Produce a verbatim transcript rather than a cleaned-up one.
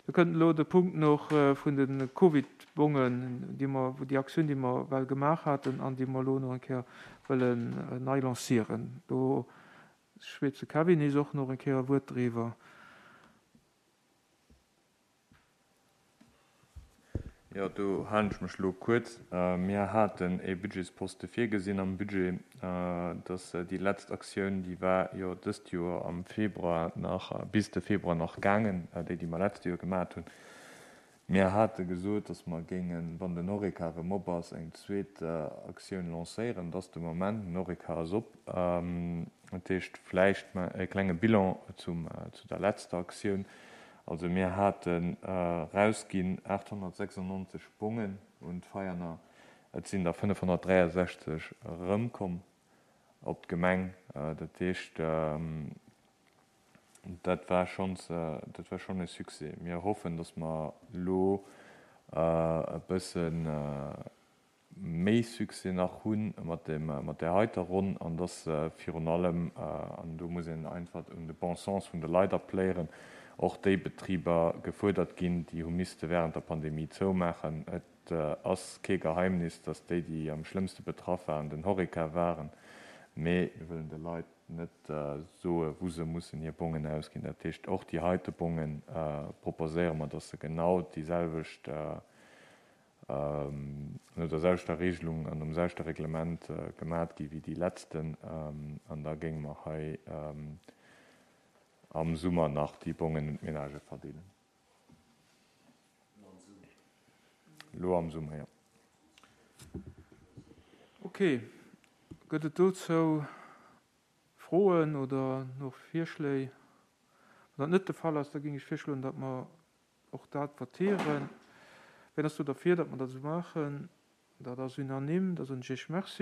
Da kënnt elo de Punkt nach vun de Covid-Bongen, déi mer, déi Aktioun, déi mer well gemaach haten an déi mer elo nach eng Kéier wëllen nei lancieren. Do schwätzt de Kevin nees och nach eng Kéier e Wuert driwwer. Jo, do halen ech mech elo kuerz. Mir haten e Budgetsposte virgesinn am Budget, dass déi letzt Aktioun, déi war jo dëst Joer am Februar nach, bis de Februar nach gaangen, déi, déi mer letzt Joer gemaat hunn. Mir hate gesot, dass mer géingen, wann den Horeca erëm op ass, eng zweet Aktioun lancéieren. Dat ass de Moment, den Horeca ass op. Dat heescht, vläicht e klenge Bilan zum, zu der letzter Aktioun. Also mir haten erausginn aathonnertsechsundneunzeg Bongen un d'Veianer. Et sinn der fënnefhonnertdräiasechzeg erëmkomm op d'Gemeng. Dat heescht, dat war schonns, dat war schonn e Succès. Mir hoffen, dass mer elo e bësse méi Succès nach hunn mat dem, mat där heiter Ronn an dass virun allem, an do muss een einfach un de bon sens vun de Leit appelléieren, och déi Betriber gefuerdert ginn, déi hu misste während der Pandemie zoumaachen. Et ass kee Geheimnis, dass déi, déi am schlëmmste betraff waren, den Horeca waren, mee mir wëllen de Leit net soe wou se mussen hir Bongen ausginn. Dat heescht, och déi heite Bonge proposéiere mer, dass se genau déi selwecht, no der selwechter Regelung an nom selwechte Reglement gemat gi wéi déi letzten. An da géinge mer hei am Summer nach déi Bongen un d'Ménagë verdeelen. Elo am Summer, jo. Ok, gëtt et dozou Froen oder nach Virschléi? Wann dat net de Fall ass, da géing ech virschloen, datt mer och dat votieren. Wien ass do derfir, datt mer dat esou maachen? Dat ass unanime. Da soen ech Iech Merci.